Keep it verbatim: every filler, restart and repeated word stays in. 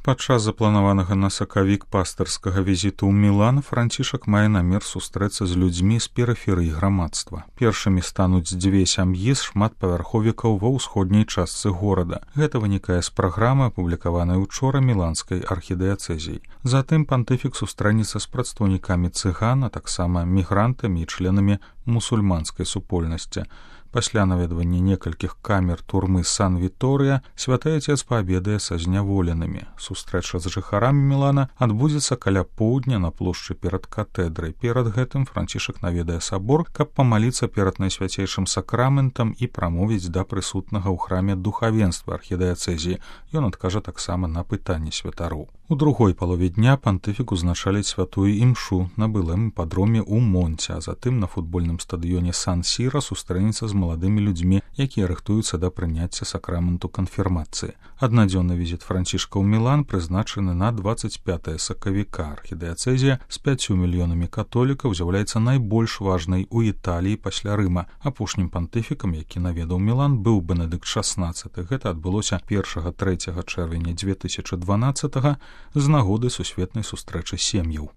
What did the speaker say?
Падчас запланаванага на сакавік пастырскага візіту ў Мілан Францішак мае намер сустрэцца з людзьмі з перыферыі грамадства. Першымі стануць дзве сям'і з шматпавярховікаў ва ўсходняй частцы горада. Гэта вынікае з праграмы, апублікаванай учора міланскай архідыяцэзіяй. Затым пантыфік сустрэнецца з прадстаўнікамі цыган, а таксама мігрантамі і членамі мусульманскай супольнасці. Пасля наведвання некалькіх камер турмы Сан-Віторыя святы Отец паабедае са зняволенымі. Сустрэча з жыхарамі Мілана адбудзецца каля поўдня на плошчы перад катэдрай. Перад гэтым Францішак наведае сабор, каб памаліцца перад найсвяцейшым сакраментам і прамовіць да прысутнага ў храме духавенства архідыяцэзіі. Ён адкажа таксама на пытанні святароў. У другой палове дня пантыфік узначаліць святую імшу на былым іпадроме ў Монце, а затым на футбольным стадыёне Сан-Сіра сустрэнецца з маладымі людзьмі, якія рыхтуюцца да прыняцця сакраменту канфірмацыі. Аднадзённы візіт Францішка ў Мілан прызначаны на дваццаць пятае сакавіка. Архідыяцэзія з пяццю мільёнамі католікаў з'яўляецца найбольш важнай у Італіі пасля Рыма. Апошнім пантыфікам, які наведаў Мілан, быў Бенедыкт шаснаццаты. Гэта адбылося першага-трэцяга чэрвеня дзве тысячы дванаццатага з нагоды сусветнай сустрэчы сем'яў.